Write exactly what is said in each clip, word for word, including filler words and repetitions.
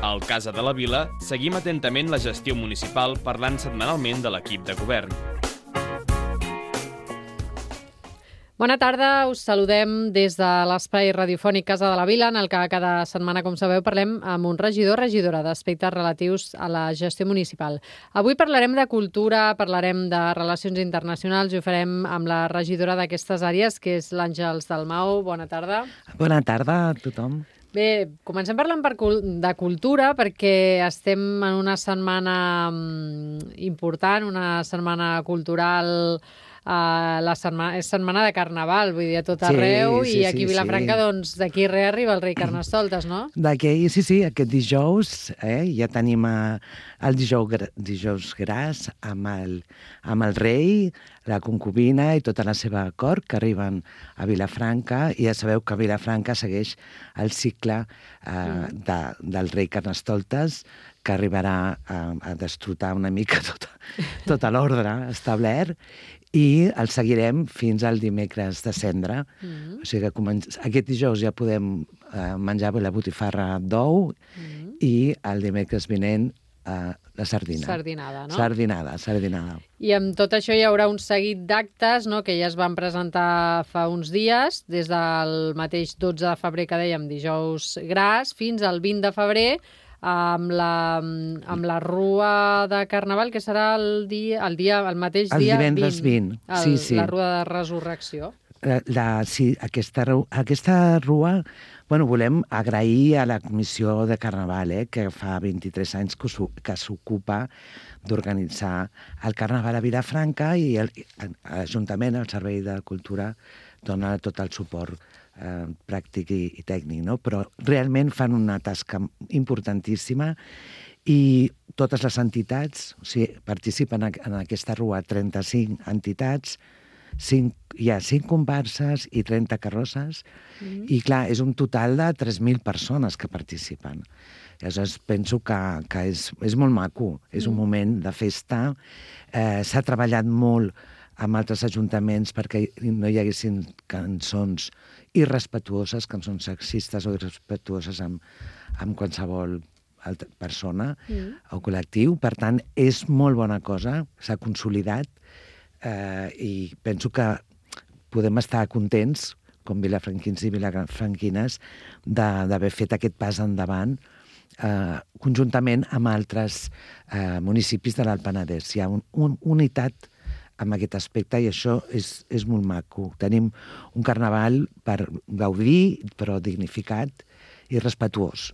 Al Casa de la Vila seguim atentament la gestió municipal parlant setmanalment de l'equip de govern. Bona tarda, us saludem des de l'espai radiofònic Casa de la Vila, en el que cada setmana, com sabeu, parlem amb un regidor o regidora d'aspectes relatius a la gestió municipal. Avui parlarem de cultura, parlarem de relacions internacionals i ho farem amb la regidora d'aquestes àrees, que és l'Àngels Dalmau. Bona tarda. Bona tarda a tothom. Bé, comencem parlant per cul- de cultura perquè estem en una setmana mm, important, una setmana cultural. Uh, la setmana, és setmana de Carnaval, vull dir, a tot arreu, sí, sí, i aquí a sí, Vilafranca, sí. doncs, d'aquí res arriba el rei Carnestoltes, no? D'aquí, sí, sí, aquest dijous eh, ja tenim eh, el dijous, gra- dijous gras amb el, amb el rei, la concubina i tota la seva cort que arriben a Vilafranca, i ja sabeu que Vilafranca segueix el cicle eh, mm. de, del rei Carnestoltes, que arribarà a, a destrotar una mica tota, tota l'ordre establert, i el seguirem fins al dimecres de Cendra. Mm. O sigui que comen... aquest dijous ja podem eh, menjar la botifarra d'ou mm. i el dimecres vinent eh, la sardina. Sardinada, no? Sardinada, sardinada. I amb tot això hi haurà un seguit d'actes, no?, que ja es van presentar fa uns dies, des del mateix dotze de febrer que dèiem, dijous gras, fins al vint de febrer, amb la, amb la rua de Carnaval, que serà el dia, el, dia, el mateix El dia divendres vint. El, Sí, sí. La rua de resurrecció. La, la, sí, aquesta, ru- aquesta rua, bueno, volem agrair a la Comissió de Carnaval, eh, que fa vint-i-tres anys que s'o- que s'ocupa d'organitzar el Carnaval a Vilafranca, i el- l'Ajuntament, el Servei de Cultura, dona tot el suport eh, pràctic i, i tècnic, no? Però realment fan una tasca importantíssima, i totes les entitats, o sigui, participen en, en aquesta rua trenta-cinc entitats, cinc, hi ha cinc comparses i trenta carrosses, mm. i clar, és un total de tres mil persones que participen. Llavors penso que, que és, és molt maco, és mm. un moment de festa. Eh, s'ha treballat molt amb altres ajuntaments perquè no hi haguessin cançons irrespetuoses, cançons sexistes o irrespetuoses amb, amb qualsevol altra persona mm. o col·lectiu. Per tant, és molt bona cosa, s'ha consolidat, eh, i penso que podem estar contents, com vilafranquins i vilafranquines, de- d'haver fet aquest pas endavant eh, conjuntament amb altres eh, municipis de l'Alt Penedès. Hi ha un, un, unitat amb aquest aspecte, i això és, és molt maco. Tenim un carnaval per gaudir, però dignificat i respetuós.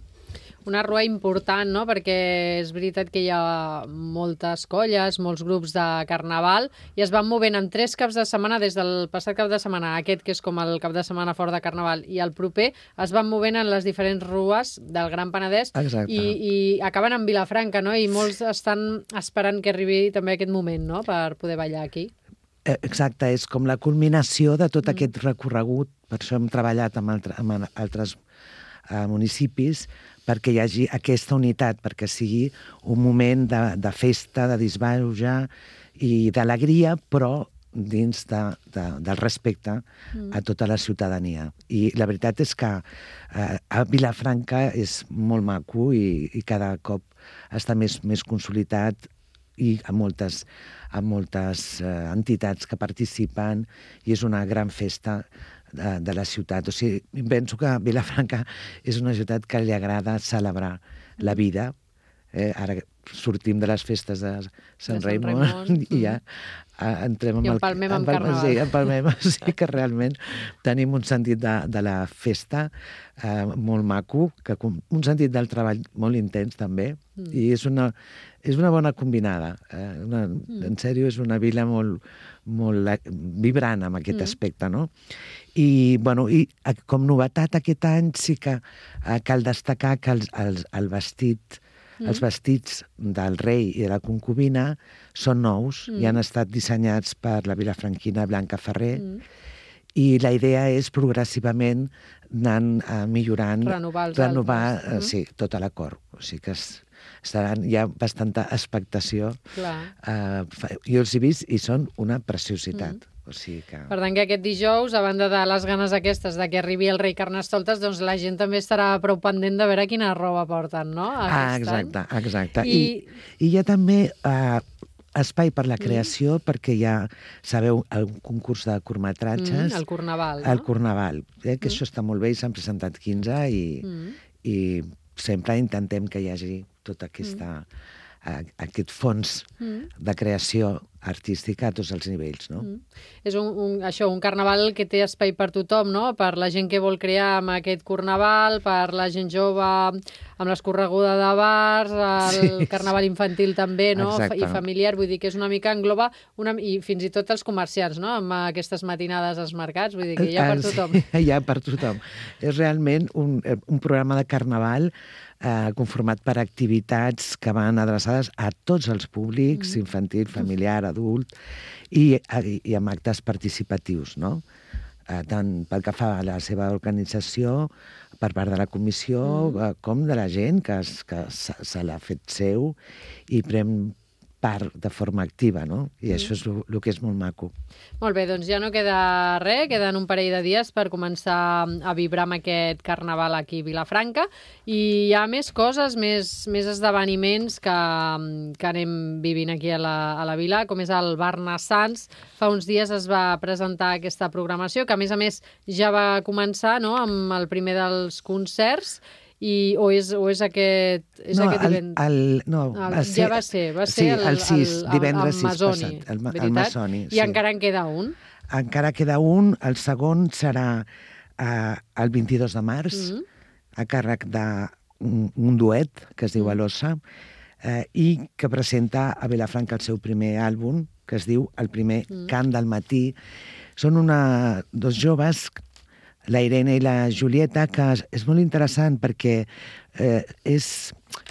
Una rua important, no?, perquè és veritat que hi ha moltes colles, molts grups de Carnaval, i es van movent en tres caps de setmana, des del passat cap de setmana, aquest que és com el cap de setmana fora de Carnaval, i el proper, es van movent en les diferents rues del Gran Penedès. Exacte. i, i acaben en Vilafranca, no?, i molts estan esperant que arribi també aquest moment, no?, per poder ballar aquí. Eh, Exacte, és com la culminació de tot mm. aquest recorregut. Per això hem treballat amb, altre, amb altres eh, municipis, perquè hi hagi aquesta unitat, perquè sigui un moment de, de festa, de disbauja i d'alegria, però dins de, de, del respecte mm. a tota la ciutadania. I la veritat és que eh, a Vilafranca és molt maco, i, i cada cop està més, més consolidat, i amb moltes, amb moltes eh, entitats que participen, i és una gran festa de, de la ciutat. O sigui, penso que Vilafranca és una ciutat que li agrada celebrar la vida. Eh, ara sortim de les festes de Sant, De Sant Raimon, Raimon, i ja eh, entrem I amb empalmem amb empalmem, Carnaval. sí, empalmem, sí que realment tenim un sentit de, de la festa eh, molt maco, que, com- un sentit del treball molt intens també, mm. i és una, és una bona combinada. Eh? Una, mm. En sèrio, és una vila molt, molt eh, vibrant amb aquest mm. aspecte, no? I, bueno, i eh, com novetat aquest any sí que eh, cal destacar que els, els, el vestit Mm. Els vestits del rei i de la concubina són nous, mm. i han estat dissenyats per la vilafranquina Blanca Ferrer, mm. i la idea és progressivament anant uh, millorant, Renovar els renovar altres. uh, sí, tota la cort. O sigui que es, estaran, hi ha bastanta expectació. Clar. Uh, fa- jo els he vist i són una preciositat. Mm. O sigui que... Per tant, que aquest dijous, a banda de les ganes aquestes de que arribi el rei Carnestoltes, doncs la gent també estarà prou pendent de veure quina roba porten, no? Ah, exacte, any. exacte. I... I, i hi ha també eh, espai per la creació, mm. perquè hi ha, sabeu, el concurs de curtmetratges. Mm, el Carnaval, no? El Carnaval, eh, que mm. això està molt bé i s'han presentat quinze i, mm. i sempre intentem que hi hagi tota aquesta... Mm. aquest fons mm. de creació artística a tots els nivells, no? Mm. És un, un, això, un carnaval que té espai per tothom, no? Per la gent que vol crear amb aquest carnaval, per la gent jove amb l'escorreguda de bars, el sí. carnaval infantil també, no? Exacte. I familiar, vull dir que és una mica engloba, una, i fins i tot els comerciants, no? Amb aquestes matinades als mercats, vull dir que hi ha per tothom. Sí, hi ha per tothom. És realment un, un programa de carnaval Eh, conformat per activitats que van adreçades a tots els públics, mm. infantil, familiar, adult, i, i amb actes participatius, no? Eh, tant pel que fa a la seva organització, per part de la comissió, mm. eh, com de la gent que, es, que se, se l'ha fet seu i pren part de forma activa, no? I mm. això és el que és molt maco. Molt bé, doncs ja no queda res, queden un parell de dies per començar a vibrar amb aquest carnaval aquí a Vilafranca, i hi ha més coses, més, més esdeveniments que, que anem vivint aquí a la, a la vila, com és el Barnassans. Fa uns dies es va presentar aquesta programació, que a més a més ja va començar, no?, amb el primer dels concerts. I, o, és, o és aquest, és no, aquest el, divendres? El, no, el, va ser, ja va ser, va ser sí, el, el sis, el, divendres el, el sis Masoni, passat, el, veritat? el Masoni. I sí. encara en queda un? Encara queda un, el segon serà eh, el vint-i-dos de març, mm -hmm. a càrrec d'un un duet que es diu Alosa, eh, i que presenta a Vilafranca el seu primer àlbum, que es diu El primer mm. cant del matí. Són una, dos joves, la Irene i la Julieta, que és, és molt interessant perquè eh, és,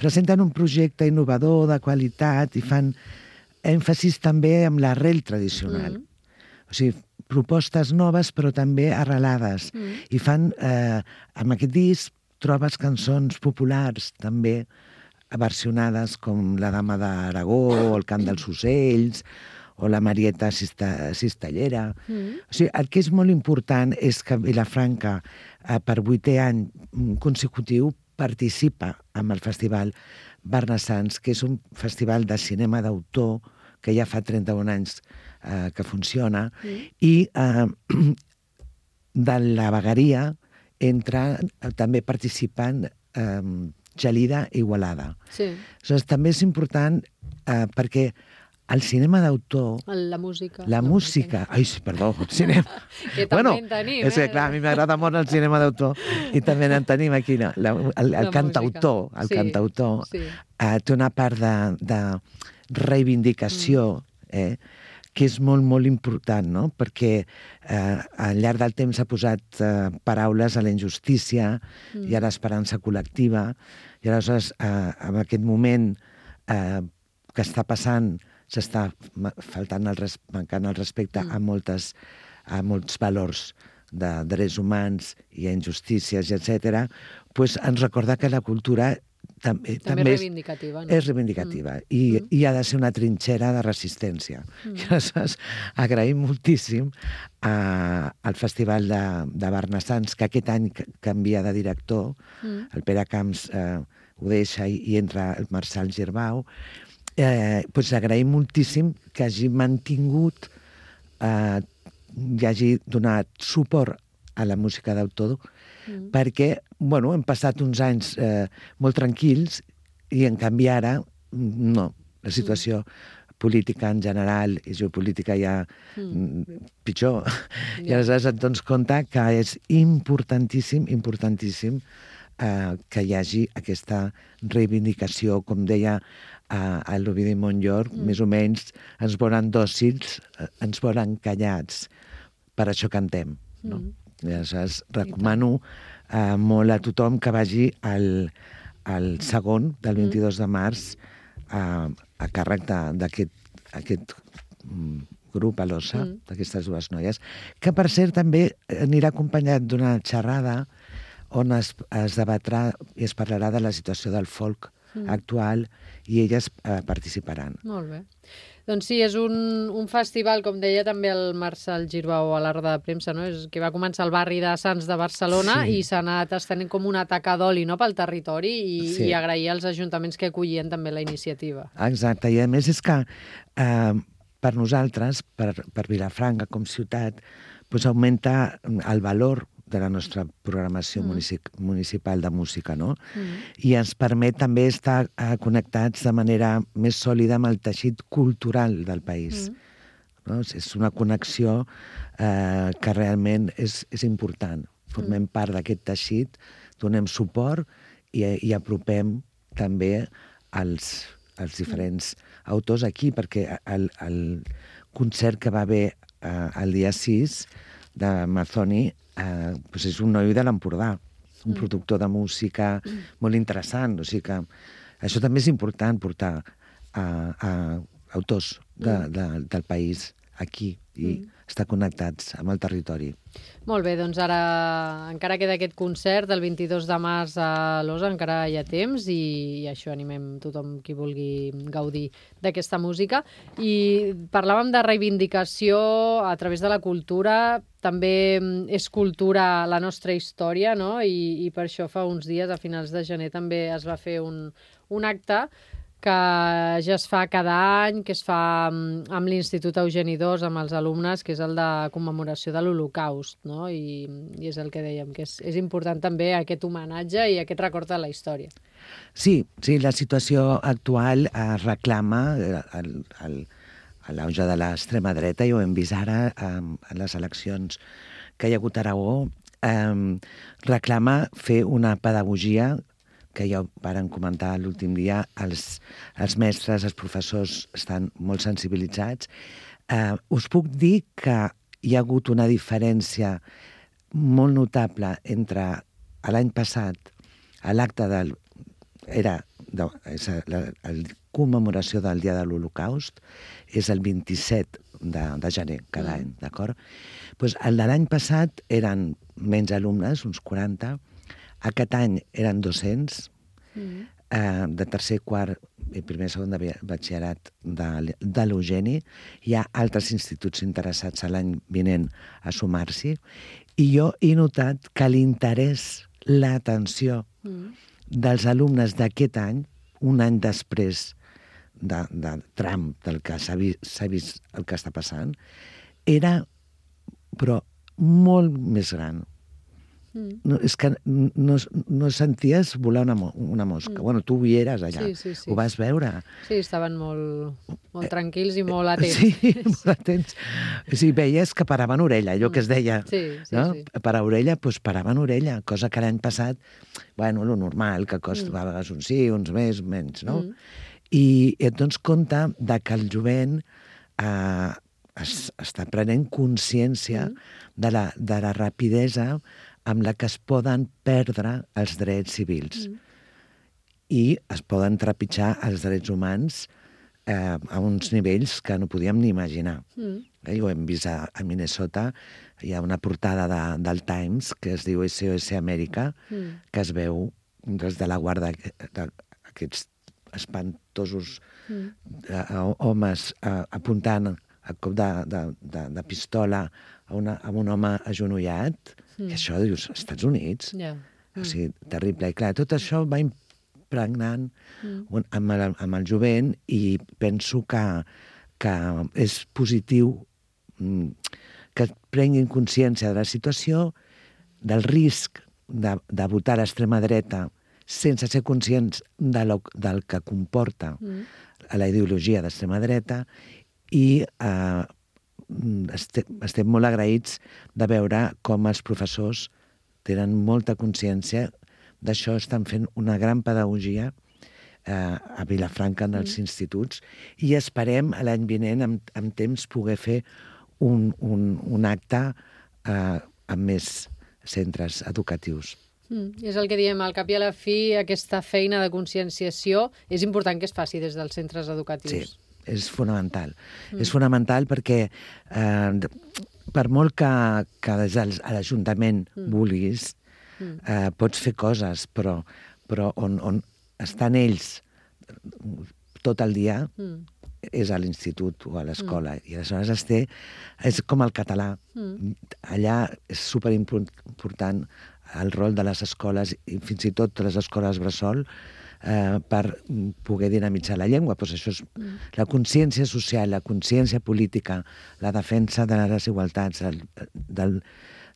presenten un projecte innovador, de qualitat, i fan èmfasis també amb l'arrel tradicional. Mm. O sigui, propostes noves però també arrelades. Mm. I fan, eh, amb aquest disc, trobes cançons populars també versionades, com La dama d'Aragó, o El cant dels ocells, o la Marieta Cista, Cistellera. Mm. O sigui, el que és molt important és que Vilafranca, eh, per vuitè any consecutiu, participa en el Festival Barnassans, que és un festival de cinema d'autor que ja fa trenta-un anys eh, que funciona, mm. i eh, de la vegueria entra, eh, també participen eh, Gelida i Igualada. Sí. Aleshores, també és important eh, perquè el cinema d'autor... La música. La no, música... No. Ai, sí, perdó, el cinema... que també bueno, en tenim, eh? És que, clar, a mi m'agrada molt el cinema d'autor i també en tenim aquí, no? la, el, el cantautor. El sí, cantautor sí. Eh, té una part de, de reivindicació, mm. eh, que és molt, molt important, no? Perquè eh, al llarg del temps s'ha posat eh, paraules a la injustícia mm. i a l'esperança col·lectiva, i aleshores, eh, en aquest moment eh, que està passant, s'està faltant el, res, mancant el respecte mm. a, moltes, a molts valors de drets humans i a injustícies, etcètera, pues ens recorda que la cultura també, també, també és reivindicativa. No? És reivindicativa mm. I, mm. i ha de ser una trinxera de resistència. Mm. I aleshores agraïm moltíssim a, al Festival de, de Barnassans, que aquest any canvia de director, mm. el Pere Camps eh, ho deixa i, i entra el Marçal Girbau. Eh, doncs agraïm moltíssim que hagi mantingut, eh, i hagi donat suport a la música d'autor, mm. perquè, bueno, hem passat uns anys eh, molt tranquils i, en canvi, ara, no. La situació mm. política en general i geopolítica ja mm. pitjor. Yeah. I aleshores et dones compte que és importantíssim, importantíssim eh, que hi hagi aquesta reivindicació, com deia a, a l'Ovidi Montllor, mm. més o menys ens volen dòcils, ens volen callats, per això cantem, no? Mm. I aleshores recomano eh, molt a tothom que vagi al, al segon del vint-i-dos de març a, a càrrec d'aquest aquest grup a l'Ossa, mm. d'aquestes dues noies, que per cert també anirà acompanyat d'una xerrada on es, es debatrà i es parlarà de la situació del folk mm. actual, i elles eh, participaran. Molt bé. Doncs sí, és un, un festival, com deia també el Marcel Girbau a la roda de premsa, no? És que va començar al barri de Sants de Barcelona sí. i s'ha anat estenent com una taca d'oli, no?, pel territori i, sí. i agrair als ajuntaments que acollien també la iniciativa. Exacte, i a més és que eh, per nosaltres, per, per Vilafranca com ciutat, doncs augmenta el valor de la nostra programació mm. municip municipal de música, no? Mm. I ens permet també estar eh, connectats de manera més sòlida amb el teixit cultural del país. Mm. No? És una connexió eh, que realment és, és important. Formem mm. part d'aquest teixit, donem suport i, i apropem també els, els diferents mm. autors aquí, perquè el, el concert que va haver eh, el dia sis de Mazzoni Eh, doncs és un noi de l'Empordà, un mm. productor de música mm. molt interessant. O sigui que això també és important, portar a, a autors de, mm. de, del país aquí i mm. estar connectats amb el territori. Molt bé, doncs ara encara queda aquest concert del vint-i-dos de març a l'Osa, encara hi ha temps i, i això animem tothom qui vulgui gaudir d'aquesta música. I parlàvem de reivindicació a través de la cultura, també és cultura la nostra història, no? I, i per això fa uns dies, a finals de gener, també es va fer un, un acte que ja es fa cada any, que es fa amb l'Institut Eugeni dos, amb els alumnes, que és el de commemoració de l'Holocaust, no? I, i és el que dèiem, que és, és important també aquest homenatge i aquest record de la història. Sí, sí, la situació actual es reclama el, el, l'auge de l'extrema dreta, i ho hem vist ara en les eleccions que hi ha hagut a Aragó, eh, reclama fer una pedagogia que ja ho varen comentar l'últim dia, els, els mestres, els professors estan molt sensibilitzats. Eh, us puc dir que hi ha hagut una diferència molt notable entre l'any passat, l'acte del... era de, és la, la commemoració del Dia de l'Holocaust, és el vint-i-set de, de gener cada mm. any, d'acord? Pues el de l'any passat eren menys alumnes, uns quaranta. Aquest any eren dos-cents, mm. eh, de tercer, quart i primer, segon de batxillerat de, de l'Eugeni. Hi ha altres instituts interessats l'any vinent a sumar-s'hi. I jo he notat que l'interès, l'atenció mm. dels alumnes d'aquest any, un any després de, de Trump, del que s'ha vist, s'ha vist el que està passant, era, però, molt més gran. No, és que no, no senties volar una, una mosca. Mm. Bueno, tu hi eres allà, sí, sí, sí. Ho vas veure. Sí, estaven molt, molt tranquils i molt atents. Sí, molt atents. Sí, veies que paraven orella, allò que es deia. Sí, sí, no? sí. Parar orella, doncs paraven orella, cosa que l'any passat, bueno, lo normal, que costa mm. a vegades uns sí, uns més, menys, no? Mm. I et dones compte de que el jovent eh, es, està prenent consciència mm. de, la, de la rapidesa amb la que es poden perdre els drets civils. Mm. I es poden trepitjar els drets humans eh, a uns nivells que no podíem ni imaginar. Mm. Eh, ho hem vist a, a Minnesota, hi ha una portada de, del Times que es diu S O S Amèrica, mm. que es veu des de la guarda d'aquests espantosos mm. eh, homes eh, apuntant a cop de, de, de, de pistola a, una, a un home agenollat. Mm. I això, dius, Estats Units. Yeah. Mm. O sigui, terrible. I clar, tot això va impregnant mm. amb, el, amb el jovent, i penso que, que és positiu que prenguin consciència de la situació, del risc de, de votar a l'extrema dreta sense ser conscients de lo, del que comporta mm. la ideologia d'extrema dreta, i eh, estem, estem molt agraïts de veure com els professors tenen molta consciència d'això, estan fent una gran pedagogia eh, a Vilafranca en els mm. instituts, i esperem l'any vinent, amb, amb temps, poder fer un, un, un acte eh, amb més centres educatius. Mm, és el que diem, al cap i a la fi, aquesta feina de conscienciació és important que es faci des dels centres educatius. Sí. És fonamental. Mm. És fonamental perquè eh, per molt que, que des de l'Ajuntament mm. vulguis, mm. Eh, pots fer coses, però, però on, on estan ells tot el dia Mm. és a l'institut o a l'escola. Mm. I aleshores es té, és com el català. Mm. Allà és superimportant el rol de les escoles, i fins i tot les escoles bressol, eh, per poder dinamitzar la llengua. Pues això és mm. la consciència social, la consciència política, la defensa de les desigualtats, el, del,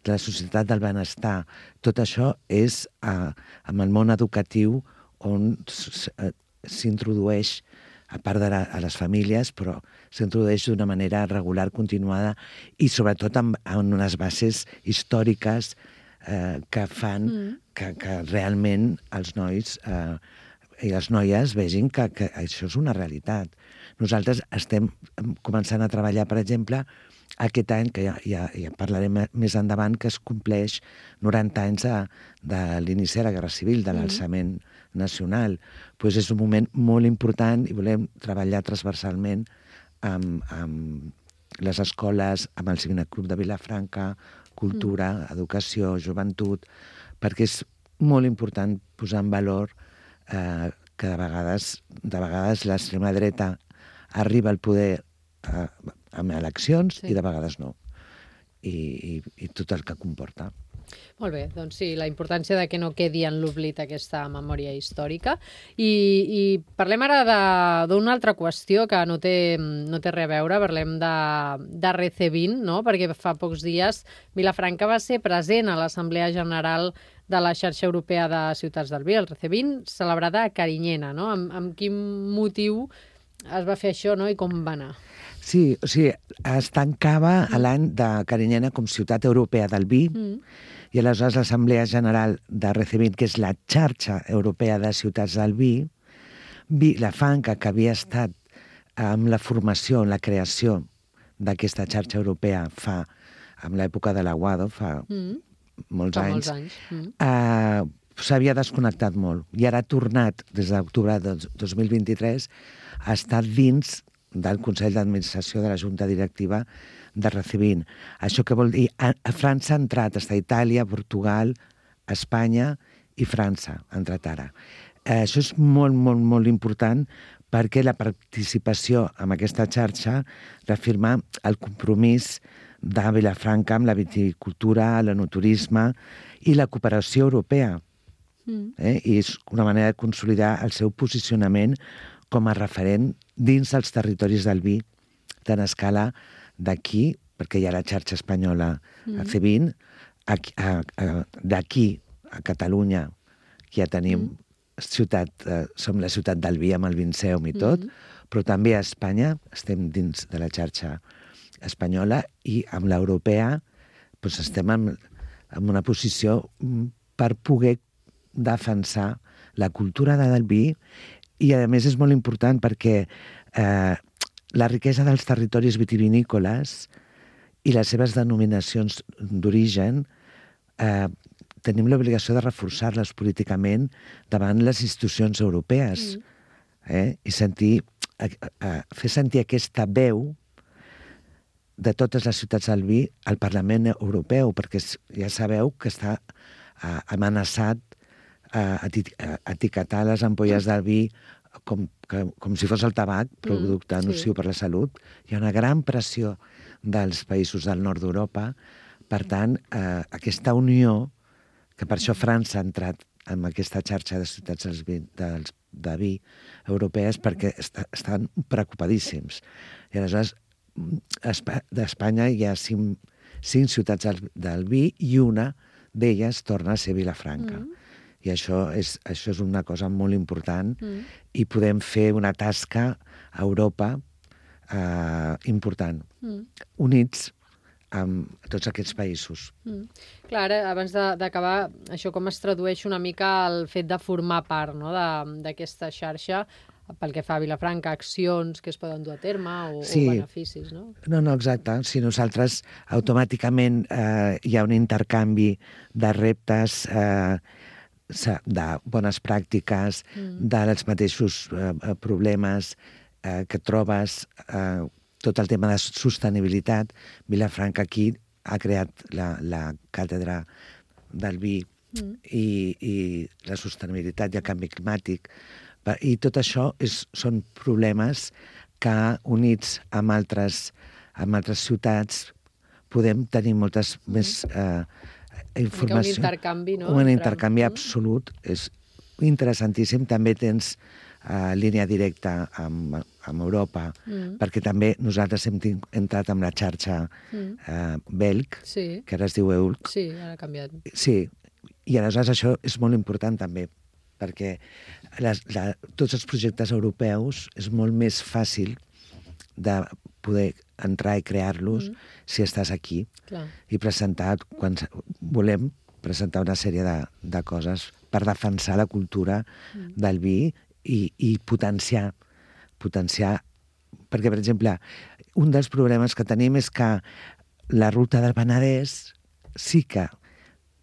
de la societat del benestar. Tot això és eh, amb el món educatiu on s'introdueix, a part de la, a les famílies, però s'introdueix d'una manera regular, continuada, i sobretot amb, amb unes bases històriques eh, que fan mm. que, que realment els nois eh, i les noies vegin que, que això és una realitat. Nosaltres estem començant a treballar, per exemple, aquest any, que ja, ja, ja parlarem més endavant, que es compleix noranta anys de, de l'inici de la Guerra Civil, de l'alçament mm. nacional. Pues és un moment molt important i volem treballar transversalment amb, amb les escoles, amb el Civic Club de Vilafranca, cultura, mm. educació, joventut, perquè és molt important posar en valor eh, que de vegades, de vegades l'extrema dreta arriba al poder eh, amb eleccions sí. i de vegades no. I, i, i tot el que comporta. Molt bé, doncs sí, la importància de que no quedi en l'oblit aquesta memòria històrica. I, i parlem ara d'una altra qüestió que no té, no té res a veure, parlem de, de Recevint, no? Perquè fa pocs dies Vilafranca va ser present a l'Assemblea General de la Xarxa Europea de Ciutats del Vi, el Recevint, celebrada a Carinyena, no? Amb, amb quin motiu es va fer això, no? I com va anar? Sí, o sigui, es tancava mm. l'any de Carinyena com ciutat europea del vi, mm. i aleshores l'Assemblea General de Recevint, que és la xarxa europea de ciutats del vi, Vilafranca, que havia estat amb la formació, la creació d'aquesta xarxa europea fa, amb l'època de l'Aguado, fa mm. molts fa anys, molts anys. Mm. Eh, s'havia desconnectat molt. I ara ha tornat, des d'octubre de dos mil vint-i-tres, a estar dins del Consell d'Administració de la Junta Directiva de Recevint. Això què vol dir? A, a França ha entrat, està Itàlia, Portugal, Espanya i França, ha entrat ara. Eh, això és molt, molt, molt important perquè la participació en aquesta xarxa reafirma el compromís de Vilafranca amb la viticultura, l'enoturisme i la cooperació europea. Mm. Eh? I és una manera de consolidar el seu posicionament com a referent dins dels territoris del vi, tant a escala d'aquí, perquè hi ha la xarxa espanyola mm. a Cevint, d'aquí a Catalunya, que ja tenim mm. ciutat, eh, som la ciutat del vi amb el Vinceum i tot, mm. però també a Espanya estem dins de la xarxa espanyola i amb l'europea doncs estem en, en una posició per poder defensar la cultura del vi. I, a més, és molt important perquè eh, la riquesa dels territoris vitivinícoles i les seves denominacions d'origen eh, tenim l'obligació de reforçar-les políticament davant les institucions europees. Mm. Eh? I sentir, eh, eh, fer sentir aquesta veu de totes les ciutats del vi al Parlament Europeu, perquè ja sabeu que està eh, amenaçat a etiquetar les ampolles del vi com, que, com si fos el tabac, producte mm, nociu sí. per la salut. Hi ha una gran pressió dels països del nord d'Europa. Per tant, eh, aquesta unió, que per això França ha entrat en aquesta xarxa de ciutats dels vi, dels, de vi europees, perquè est estan preocupadíssims. I aleshores, d'Espanya hi ha cinc, cinc ciutats del, del vi i una d'elles torna a ser Vilafranca. Mm. I això és, això és una cosa molt important mm. i podem fer una tasca a Europa eh, important, mm. units amb tots aquests països. Mm. Clar, ara, abans d'acabar, això com es tradueix una mica el fet de formar part, no?, d'aquesta xarxa pel que fa a Vilafranca, accions que es poden dur a terme o, sí. o beneficis, no? No, no, exacte. Si nosaltres automàticament eh, hi ha un intercanvi de reptes eh, de bones pràctiques, mm. dels mateixos eh, problemes eh, que trobes, eh, tot el tema de sostenibilitat. Vilafranca aquí ha creat la, la càtedra del vi mm. i, i la sostenibilitat i el canvi climàtic I tot això és, són problemes que, units amb altres, amb altres ciutats, podem tenir moltes mm. més eh, informació. Un intercanvi, no? Un intercanvi mm. absolut. És interessantíssim. També tens uh, línia directa amb, amb Europa, mm. perquè també nosaltres hem entrat amb la xarxa mm. uh, Belg, sí. que ara es diu E U L C. Sí, ara ha canviat. Sí, i aleshores això és molt important també, perquè les, la, tots els projectes europeus és molt més fàcil de poder entrar i crear-los mm. si estàs aquí. Clar. I presentar, quan volem, presentar una sèrie de, de coses per defensar la cultura mm. del vi i, i potenciar, potenciar, perquè, per exemple, un dels problemes que tenim és que la ruta del Penedès sí que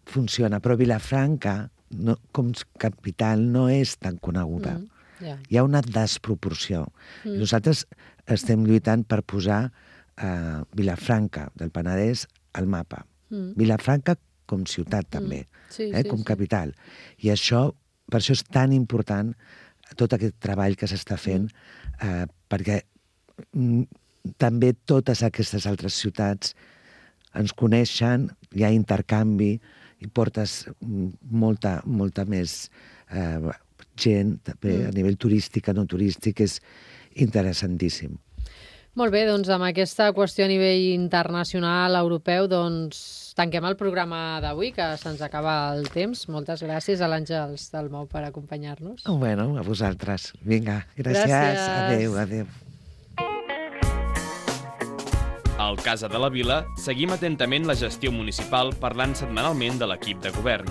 funciona, però Vilafranca, no, com capital, no és tan coneguda. Mm. Yeah. Hi ha una desproporció. Mm. I nosaltres estem lluitant per posar uh, Vilafranca del Penedès al mapa. Mm. Vilafranca com ciutat, també, mm. sí, eh, sí, com sí. capital. I això, per això és tan important tot aquest treball que s'està fent, mm. eh, perquè mm, també totes aquestes altres ciutats ens coneixen, hi ha intercanvi, i portes molta, molta més eh, gent, també, mm. a nivell turístic, no turístic, és interessantíssim. Molt bé, doncs amb aquesta qüestió a nivell internacional, europeu, doncs tanquem el programa d'avui, que se'ns acaba el temps. Moltes gràcies a l'Àngels Dalmau per acompanyar-nos. Oh, bueno, a vosaltres. Vinga, gràcies. gràcies. Adéu, adéu. Al Casa de la Vila seguim atentament la gestió municipal parlant setmanalment de l'equip de govern.